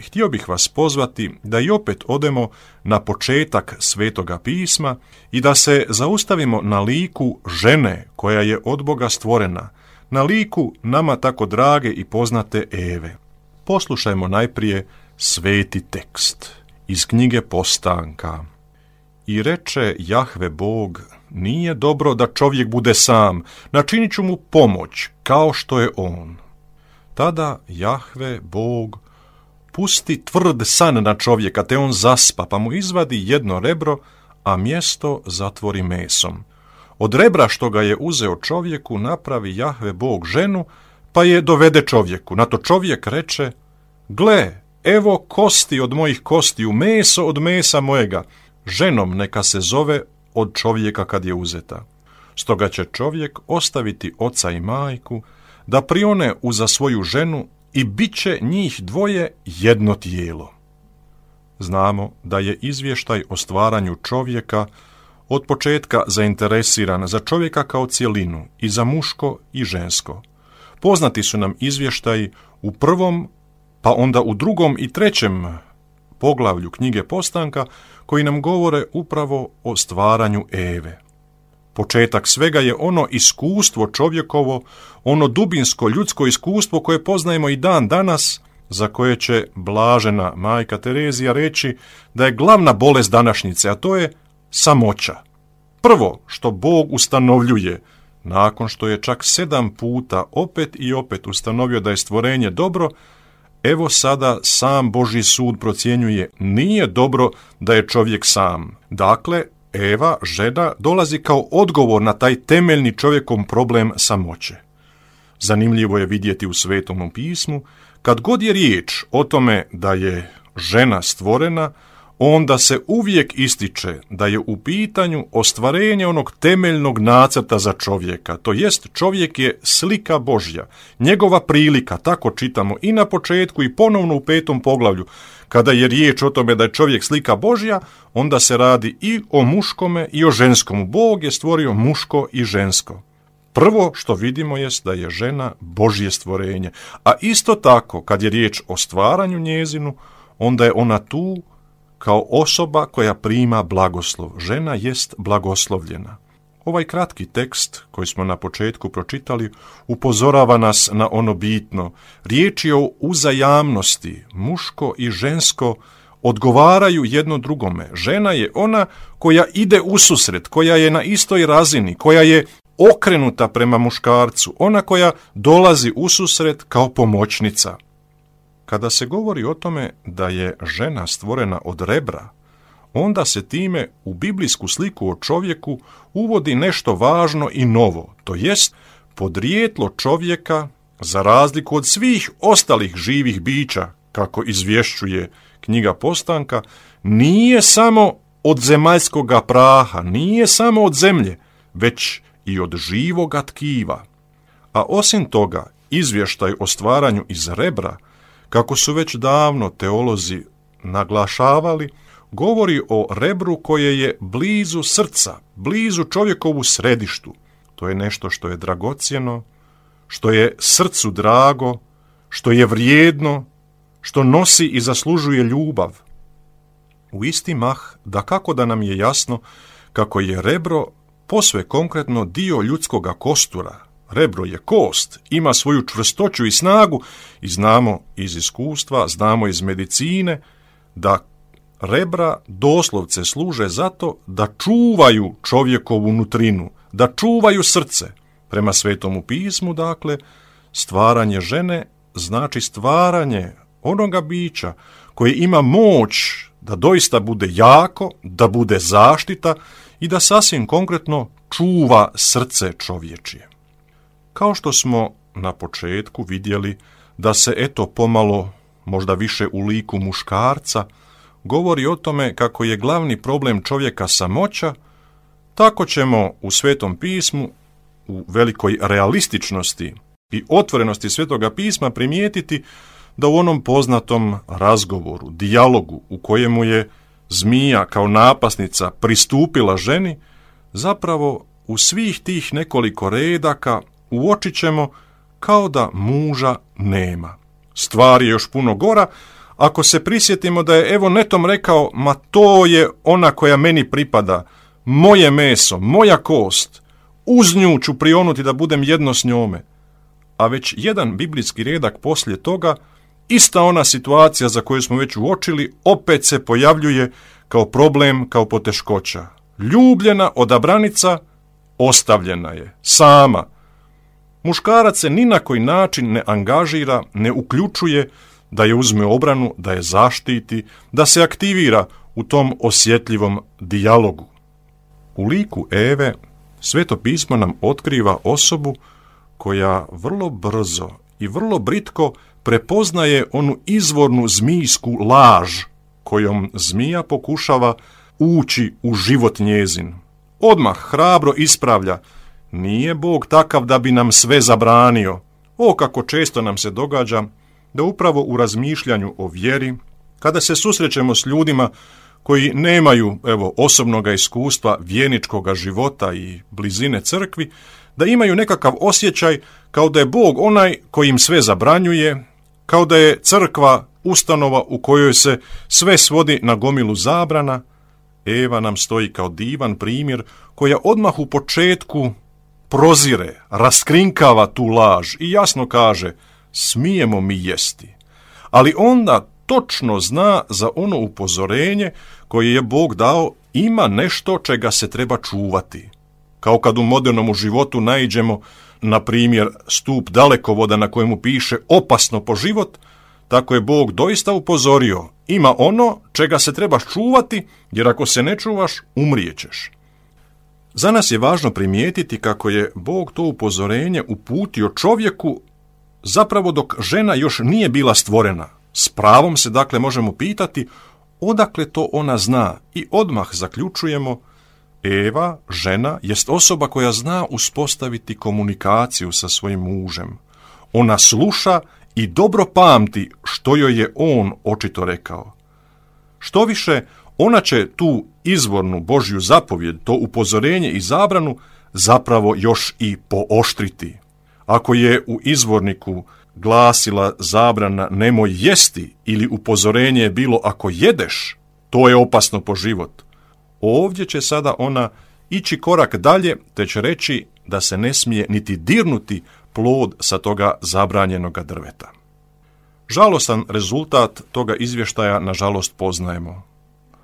Htio bih vas pozvati da i opet odemo na početak Svetoga pisma i da se zaustavimo na liku žene koja je od Boga stvorena, na liku nama tako drage i poznate Eve. Poslušajmo najprije sveti tekst iz knjige Postanka. I reče Jahve Bog, nije dobro da čovjek bude sam, načinit ću mu pomoć kao što je on. Tada Jahve Bog pusti tvrd san na čovjeka, te on zaspa, pa mu izvadi jedno rebro, a mjesto zatvori mesom. Od rebra što ga je uzeo čovjeku napravi Jahve Bog ženu, pa je dovede čovjeku. Na to čovjek reče, gle, evo kosti od mojih kostiju, meso od mesa mojega, ženom neka se zove od čovjeka kad je uzeta. Stoga će čovjek ostaviti oca i majku, da prione uza svoju ženu i bit će njih dvoje jedno tijelo. Znamo da je izvještaj o stvaranju čovjeka od početka zainteresiran za čovjeka kao cjelinu, i za muško i žensko. Poznati su nam izvještaji u prvom, pa onda u drugom i trećem poglavlju knjige Postanka, koji nam govore upravo o stvaranju Eve. Početak svega je ono iskustvo čovjekovo, ono dubinsko ljudsko iskustvo koje poznajemo i dan danas, za koje će blažena majka Terezija reći da je glavna bolest današnjice, a to je samoća. Prvo što Bog ustanovljuje, nakon što je čak 7 puta opet i opet ustanovio da je stvorenje dobro, evo sada sam Božji sud procjenjuje, nije dobro da je čovjek sam. Dakle, Eva, žena, dolazi kao odgovor na taj temeljni čovjekom problem samoće. Zanimljivo je vidjeti u Svetom pismu, kad god je riječ o tome da je žena stvorena, onda se uvijek ističe da je u pitanju ostvarenje onog temeljnog nacrta za čovjeka, to jest čovjek je slika Božja, njegova prilika, tako čitamo i na početku i ponovno u 5. poglavlju. Kada je riječ o tome da je čovjek slika Božja, onda se radi i o muškome i o ženskomu. Bog je stvorio muško i žensko. Prvo što vidimo jest da je žena Božje stvorenje, a isto tako kad je riječ o stvaranju njezinu, onda je ona tu kao osoba koja prima blagoslov. Žena jest blagoslovljena. Ovaj kratki tekst koji smo na početku pročitali upozorava nas na ono bitno. Riječ je o uzajamnosti, muško i žensko odgovaraju jedno drugome. Žena je ona koja ide ususret, koja je na istoj razini, koja je okrenuta prema muškarcu, ona koja dolazi ususret kao pomoćnica. Kada se govori o tome da je žena stvorena od rebra, onda se time u biblijsku sliku o čovjeku uvodi nešto važno i novo, to jest podrijetlo čovjeka, za razliku od svih ostalih živih bića, kako izvješćuje knjiga Postanka, nije samo od zemaljskoga praha, nije samo od zemlje, već i od živoga tkiva. A osim toga, izvještaj o stvaranju iz rebra, kako su već davno teolozi naglašavali, govori o rebru koje je blizu srca, blizu čovjekovu središtu. To je nešto što je dragocjeno, što je srcu drago, što je vrijedno, što nosi i zaslužuje ljubav. U isti mah, dakako da nam je jasno kako je rebro posve konkretno dio ljudskoga kostura. Rebro je kost, ima svoju čvrstoću i snagu i znamo iz iskustva, znamo iz medicine da rebra doslovce služe zato da čuvaju čovjekovu nutrinu, da čuvaju srce. Prema Svetomu pismu, dakle, stvaranje žene znači stvaranje onoga bića koje ima moć da doista bude jako, da bude zaštita i da sasvim konkretno čuva srce čovječije. Kao što smo na početku vidjeli da se eto pomalo, možda više u liku muškarca, govori o tome kako je glavni problem čovjeka samoća, tako ćemo u Svetom pismu, u velikoj realističnosti i otvorenosti Svetoga pisma primijetiti da u onom poznatom razgovoru, dijalogu u kojemu je zmija kao napasnica pristupila ženi, zapravo u svih tih nekoliko redaka uočit ćemo kao da muža nema. Stvar je još puno gora, ako se prisjetimo da je evo netom rekao, ma to je ona koja meni pripada, moje meso, moja kost, uz nju ću prionuti da budem jedno s njome. A već jedan biblijski redak poslije toga, ista ona situacija za koju smo već uočili, opet se pojavljuje kao problem, kao poteškoća. Ljubljena odabranica ostavljena je, sama. Muškarac se ni na koji način ne angažira, ne uključuje da je uzme obranu, da je zaštiti, da se aktivira u tom osjetljivom dijalogu. U liku Eve Sveto pismo nam otkriva osobu koja vrlo brzo i vrlo britko prepoznaje onu izvornu zmijsku laž kojom zmija pokušava ući u život njezin. Odmah hrabro ispravlja, nije Bog takav da bi nam sve zabranio. O, kako često nam se događa da upravo u razmišljanju o vjeri, kada se susrećemo s ljudima koji nemaju osobnog iskustva vjerničkog života i blizine crkvi, da imaju nekakav osjećaj kao da je Bog onaj koji im sve zabranjuje, kao da je crkva ustanova u kojoj se sve svodi na gomilu zabrana. Eva nam stoji kao divan primjer koja odmah u početku prozire, raskrinkava tu laž i jasno kaže, smijemo mi jesti. Ali onda točno zna za ono upozorenje koje je Bog dao, ima nešto čega se treba čuvati. Kao kad u modernom životu naiđemo, na primjer, stup dalekovoda na kojemu piše opasno po život, tako je Bog doista upozorio, ima ono čega se trebaš čuvati, jer ako se ne čuvaš, umrijećeš. Za nas je važno primijetiti kako je Bog to upozorenje uputio čovjeku zapravo dok žena još nije bila stvorena. S pravom se dakle možemo pitati odakle to ona zna i odmah zaključujemo, Eva, žena, jest osoba koja zna uspostaviti komunikaciju sa svojim mužem. Ona sluša i dobro pamti što joj je on očito rekao. Štoviše, ona će tu izvornu Božju zapovjed, to upozorenje i zabranu zapravo još i pooštriti. Ako je u izvorniku glasila zabrana nemoj jesti ili upozorenje je bilo ako jedeš, to je opasno po život. Ovdje će sada ona ići korak dalje te će reći da se ne smije niti dirnuti plod sa toga zabranjenoga drveta. Žalostan rezultat toga izvještaja nažalost poznajemo.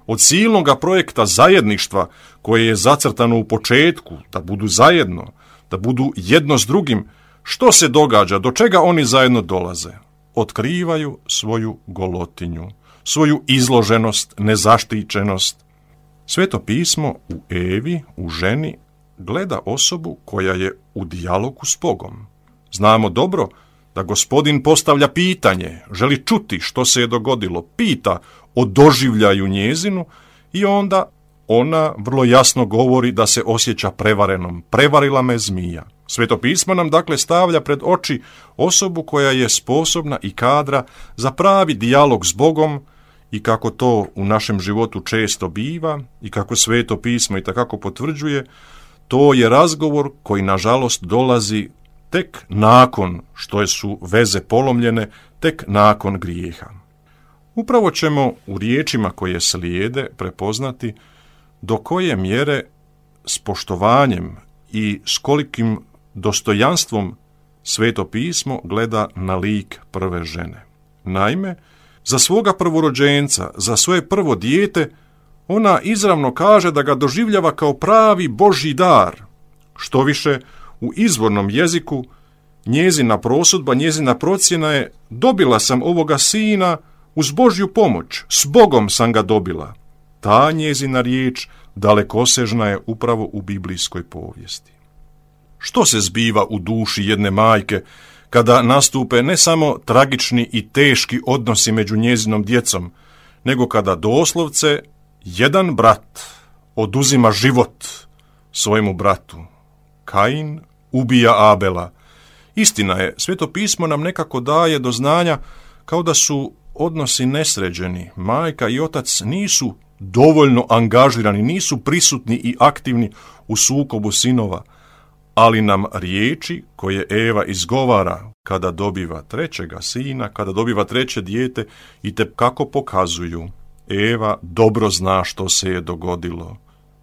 Od silnoga projekta zajedništva koje je zacrtano u početku, da budu zajedno, da budu jedno s drugim, što se događa, do čega oni zajedno dolaze? Otkrivaju svoju golotinju, svoju izloženost, nezaštićenost. Sveto pismo u Evi, u ženi, gleda osobu koja je u dijalogu s Bogom. Znamo dobro da Gospodin postavlja pitanje, želi čuti što se je dogodilo, pita o doživljaju njezinu i onda ona vrlo jasno govori da se osjeća prevarenom. Prevarila me zmija. Sveto pismo nam dakle stavlja pred oči osobu koja je sposobna i kadra za pravi dijalog s Bogom i kako to u našem životu često biva i kako Sveto pismo i takako potvrđuje, to je razgovor koji nažalost dolazi tek nakon što su veze polomljene, tek nakon grijeha. Upravo ćemo u riječima koje slijede prepoznati do koje mjere s poštovanjem i s kolikim dostojanstvom Sveto pismo gleda na lik prve žene. Naime, za svoga prvorođenca, za svoje prvo dijete, ona izravno kaže da ga doživljava kao pravi Božji dar. Štoviše, u izvornom jeziku njezina prosudba, njezina procjena je dobila sam ovoga sina uz Božju pomoć, s Bogom sam ga dobila. Ta njezina riječ dalekosežna je upravo u biblijskoj povijesti. Što se zbiva u duši jedne majke kada nastupe ne samo tragični i teški odnosi među njezinom djecom, nego kada doslovce jedan brat oduzima život svojemu bratu? Kain ubija Abela. Istina je, Sveto pismo nam nekako daje do znanja kao da su odnosi nesređeni. Majka i otac nisu dovoljno angažirani, nisu prisutni i aktivni u sukobu sinova, ali nam riječi koje Eva izgovara, kada dobiva trećega sina, kada dobiva treće dijete, i te kako pokazuju. Eva dobro zna što se je dogodilo.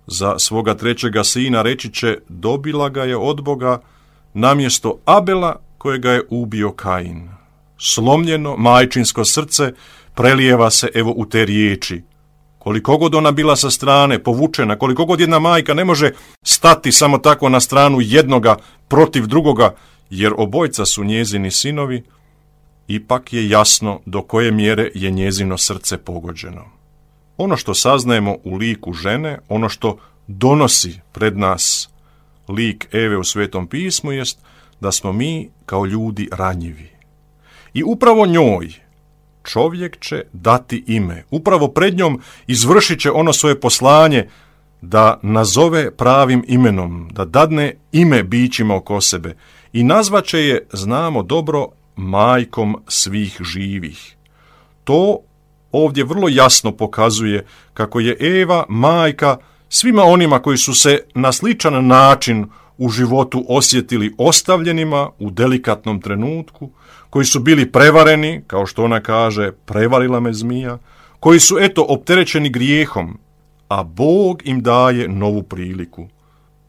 Za svoga trećega sina reći će, dobila ga je od Boga namjesto Abela kojega je ubio Kain. Slomljeno majčinsko srce prelijeva se evo u te riječi. Koliko god ona bila sa strane povučena, koliko god jedna majka ne može stati samo tako na stranu jednoga protiv drugoga, jer obojca su njezini sinovi, ipak je jasno do koje mjere je njezino srce pogođeno. Ono što saznajemo u liku žene, ono što donosi pred nas lik Eve u Svetom pismu, jest da smo mi kao ljudi ranjivi. I upravo njoj čovjek će dati ime. Upravo pred njom izvršit će ono svoje poslanje da nazove pravim imenom, da dadne ime bićima oko sebe i nazvaće je, znamo dobro, majkom svih živih. To ovdje vrlo jasno pokazuje kako je Eva majka svima onima koji su se na sličan način u životu osjetili ostavljenima u delikatnom trenutku, koji su bili prevareni, kao što ona kaže, prevarila me zmija, koji su opterećeni grijehom, a Bog im daje novu priliku.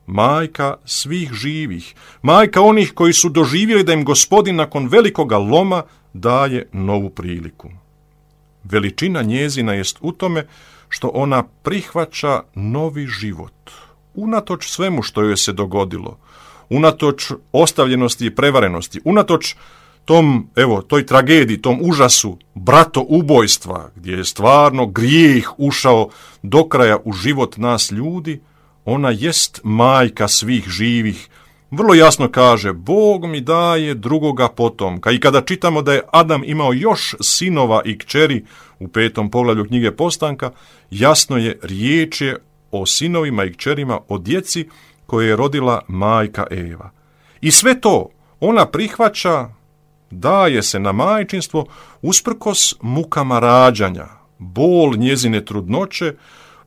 Majka svih živih, majka onih koji su doživjeli da im Gospodin nakon velikoga loma daje novu priliku. Veličina njezina jest u tome što ona prihvaća novi život, unatoč svemu što joj se dogodilo, unatoč ostavljenosti i prevarenosti, unatoč toj tragediji, tom užasu bratoubojstva, gdje je stvarno grijeh ušao do kraja u život nas ljudi, ona jest majka svih živih. Vrlo jasno kaže, Bog mi daje drugoga potomka. I kada čitamo da je Adam imao još sinova i kćeri u 5. poglavlju knjige Postanka, jasno je, riječ je o sinovima i kćerima, o djeci koje je rodila majka Eva. I sve to ona prihvaća, daje se na majčinstvo usprkos mukama rađanja, bol njezine trudnoće,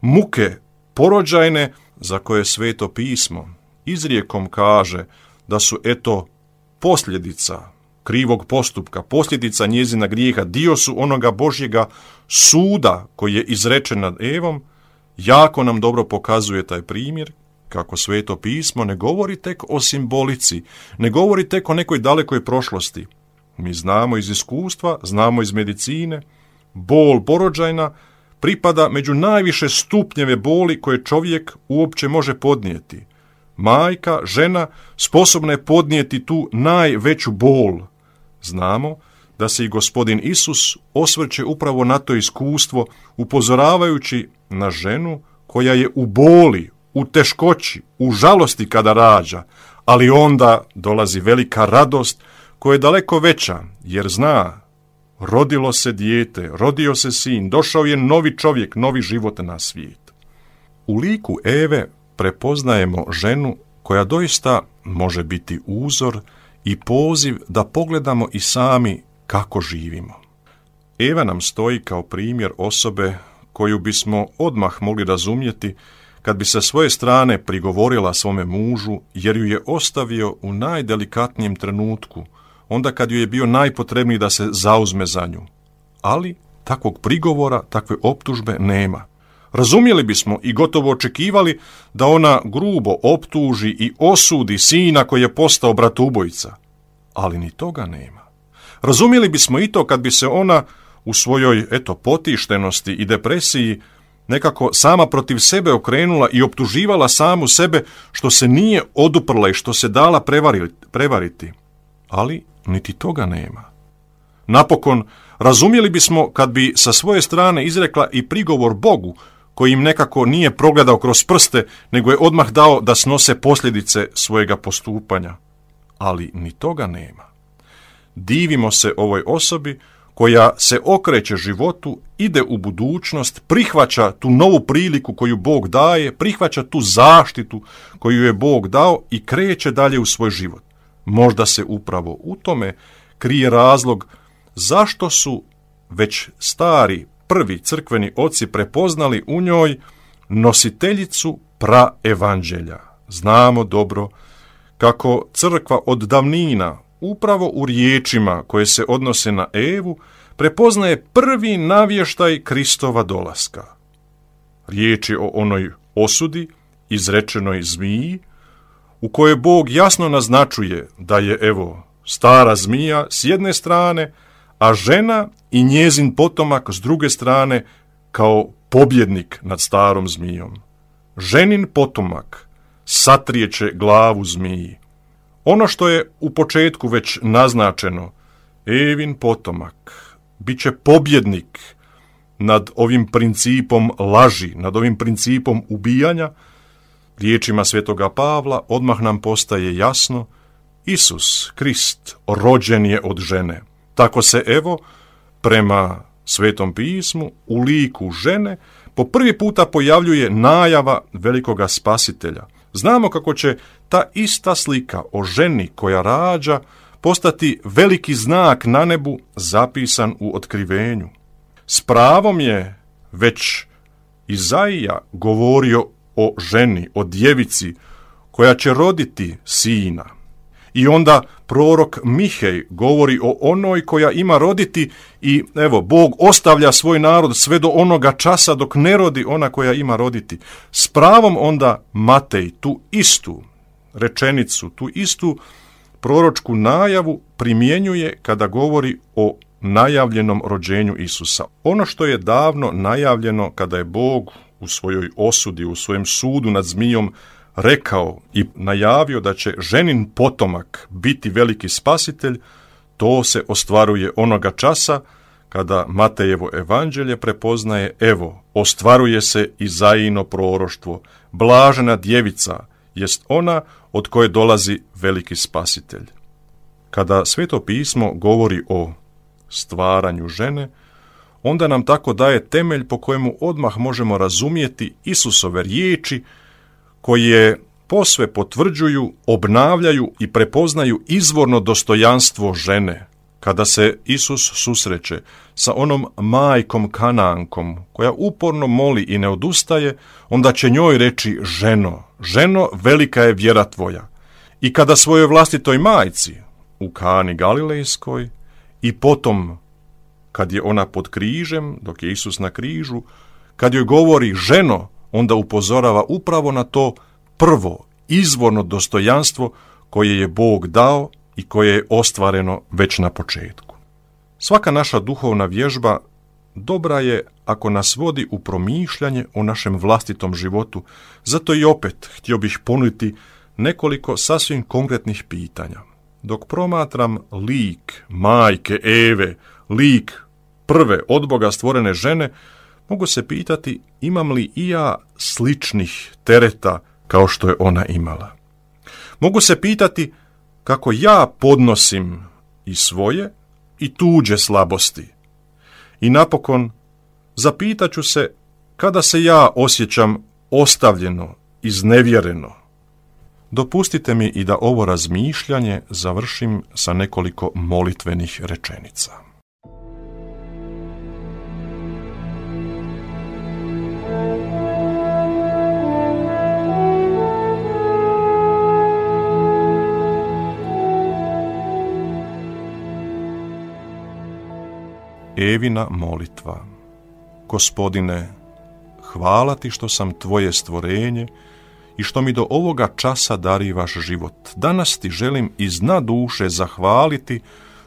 muke porođajne za koje Sveto pismo izrijekom kaže da su posljedica krivog postupka, posljedica njezina grijeha, dio su onoga Božjega suda koji je izrečen nad Evom. Jako nam dobro pokazuje taj primjer kako Sveto pismo ne govori tek o simbolici, ne govori tek o nekoj dalekoj prošlosti. Mi znamo iz iskustva, znamo iz medicine, bol porođajna pripada među najviše stupnjeve boli koje čovjek uopće može podnijeti. Majka, žena, sposobna je podnijeti tu najveću bol. Znamo da se i Gospodin Isus osvrće upravo na to iskustvo, upozoravajući na ženu koja je u boli, u teškoći, u žalosti kada rađa, ali onda dolazi velika radost koja je daleko veća, jer zna, rodilo se dijete, rodio se sin, došao je novi čovjek, novi život na svijet. U liku Eve prepoznajemo ženu koja doista može biti uzor i poziv da pogledamo i sami kako živimo. Eva nam stoji kao primjer osobe koju bismo odmah mogli razumjeti kad bi sa svoje strane prigovorila svome mužu jer ju je ostavio u najdelikatnijem trenutku, onda kad ju je bio najpotrebniji da se zauzme za nju. Ali takvog prigovora, takve optužbe nema. Razumjeli bismo i gotovo očekivali da ona grubo optuži i osudi sina koji je postao bratoubojica, ali ni toga nema. Razumjeli bismo i to kad bi se ona u svojoj potištenosti i depresiji nekako sama protiv sebe okrenula i optuživala samu sebe što se nije oduprla i što se dala prevariti. Ali niti toga nema. Napokon, razumjeli bismo kad bi sa svoje strane izrekla i prigovor Bogu, koji im nekako nije progledao kroz prste, nego je odmah dao da snose posljedice svojega postupanja. Ali ni toga nema. Divimo se ovoj osobi koja se okreće životu, ide u budućnost, prihvaća tu novu priliku koju Bog daje, prihvaća tu zaštitu koju je Bog dao i kreće dalje u svoj život. Možda se upravo u tome krije razlog zašto su već stari prvi crkveni oci prepoznali u njoj nositeljicu praevanđelja. Znamo dobro kako crkva od davnina upravo u riječima koje se odnose na Evu prepoznaje prvi navještaj Kristova dolaska. Riječ je o onoj osudi izrečenoj zmiji, u kojoj Bog jasno naznačuje da je, evo, stara zmija s jedne strane, a žena i njezin potomak s druge strane kao pobjednik nad starom zmijom. Ženin potomak satrijeće glavu zmiji. Ono što je u početku već naznačeno, Evin potomak bit će pobjednik nad ovim principom laži, nad ovim principom ubijanja. Riječima svetoga Pavla odmah nam postaje jasno, Isus Krist rođen je od žene. Tako se, evo, prema Svetom pismu, u liku žene po prvi puta pojavljuje najava velikoga spasitelja. Znamo kako će ta ista slika o ženi koja rađa postati veliki znak na nebu zapisan u Otkrivenju. S pravom je već Izaija govorio o ženi, o djevici koja će roditi sina. I onda prorok Mihej govori o onoj koja ima roditi i evo, Bog ostavlja svoj narod sve do onoga časa dok ne rodi ona koja ima roditi. S pravom onda Matej tu istu rečenicu, tu istu proročku najavu primjenjuje kada govori o najavljenom rođenju Isusa. Ono što je davno najavljeno kada je Bog u svojoj osudi, u svojem sudu nad zmijom rekao i najavio da će ženin potomak biti veliki spasitelj, to se ostvaruje onoga časa kada Matejevo evanđelje prepoznaje, evo, ostvaruje se Izajino proroštvo, blažena djevica jest ona od koje dolazi veliki spasitelj. Kada Sveto pismo govori o stvaranju žene, onda nam tako daje temelj po kojemu odmah možemo razumjeti Isusove riječi koje posve potvrđuju, obnavljaju i prepoznaju izvorno dostojanstvo žene. Kada se Isus susreće sa onom majkom Kanankom koja uporno moli i ne odustaje, onda će njoj reći: ženo, velika je vjera tvoja. I kada svojoj vlastitoj majci u Kani Galilejskoj i potom kad je ona pod križem, dok je Isus na križu, kad joj govori ženo, onda upozorava upravo na to prvo izvorno dostojanstvo koje je Bog dao i koje je ostvareno već na početku. Svaka naša duhovna vježba dobra je ako nas vodi u promišljanje o našem vlastitom životu, zato i opet htio bih ponuditi nekoliko sasvim konkretnih pitanja. Dok promatram lik majke Eve, lik prve od Boga stvorene žene, mogu se pitati imam li i ja sličnih tereta kao što je ona imala. Mogu se pitati kako ja podnosim i svoje i tuđe slabosti. I napokon zapitat ću se kada se ja osjećam ostavljeno, iznevjereno. Dopustite mi i da ovo razmišljanje završim sa nekoliko molitvenih rečenica. Evina molitva. Gospodine, hvala ti što sam tvoje stvorenje i što mi do ovoga časa darivaš život. Danas ti želim iz dna duše zahvaliti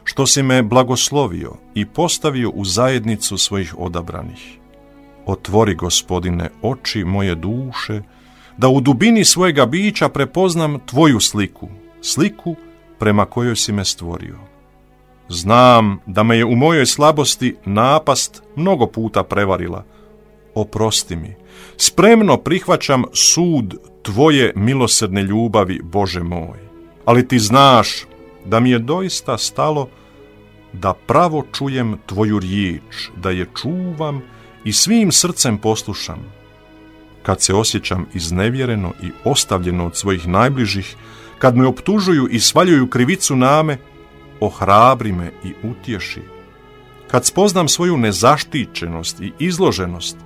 što si me blagoslovio i postavio u zajednicu svojih odabranih. Otvori, Gospodine, oči moje duše, da u dubini svojega bića prepoznam tvoju sliku, sliku prema kojoj si me stvorio. Znam da me je u mojoj slabosti napast mnogo puta prevarila. Oprosti mi, spremno prihvaćam sud tvoje milosrdne ljubavi, Bože moj. Ali ti znaš da mi je doista stalo da pravo čujem tvoju riječ, da je čuvam i svim srcem poslušam. Kad se osjećam iznevjereno i ostavljeno od svojih najbližih, kad me optužuju i svaljuju krivicu na me, ohrabri me i utješi. Kad spoznam svoju nezaštićenost i izloženost,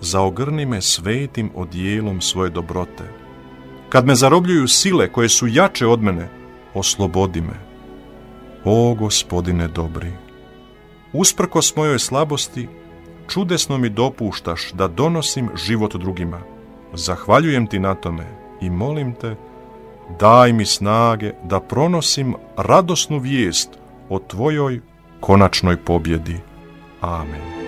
zaogrni me svetim odjelom svoje dobrote. Kad me zarobljuju sile koje su jače od mene, oslobodi me. o Gospodine dobri. Usprkos mojoj slabosti, čudesno mi dopuštaš da donosim život drugima. Zahvaljujem ti na tome i molim te, daj mi snage da pronosim radosnu vijest o tvojoj konačnoj pobjedi. Amen.